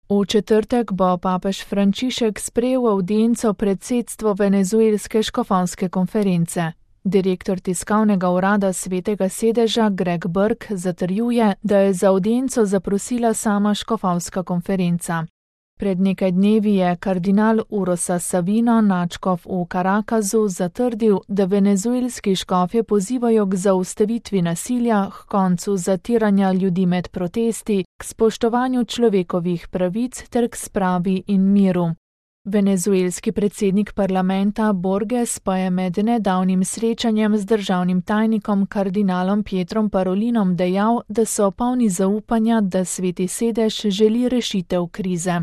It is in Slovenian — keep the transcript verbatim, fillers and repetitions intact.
V četrtek bo papež Frančišek sprejel avdienco predsedstvo venezuelske škofovske konference. Direktor tiskovnega urada Svetega sedeža Greg Burke zatrjuje, da je za avdienco zaprosila sama škofovska konferenca. Pred nekaj dnevi je kardinal Urosa Savino, nadškof v Carakasu, zatrdil, da venezuelski škofje pozivajo k zaustavitvi nasilja, k koncu zatiranja ljudi med protesti, k spoštovanju človekovih pravic ter k spravi in miru. Venezuelski predsednik parlamenta Borges pa je med nedavnim srečanjem z državnim tajnikom kardinalom Pietrom Parolinom dejal, da so polni zaupanja, da Sveti sedež želi rešitev krize.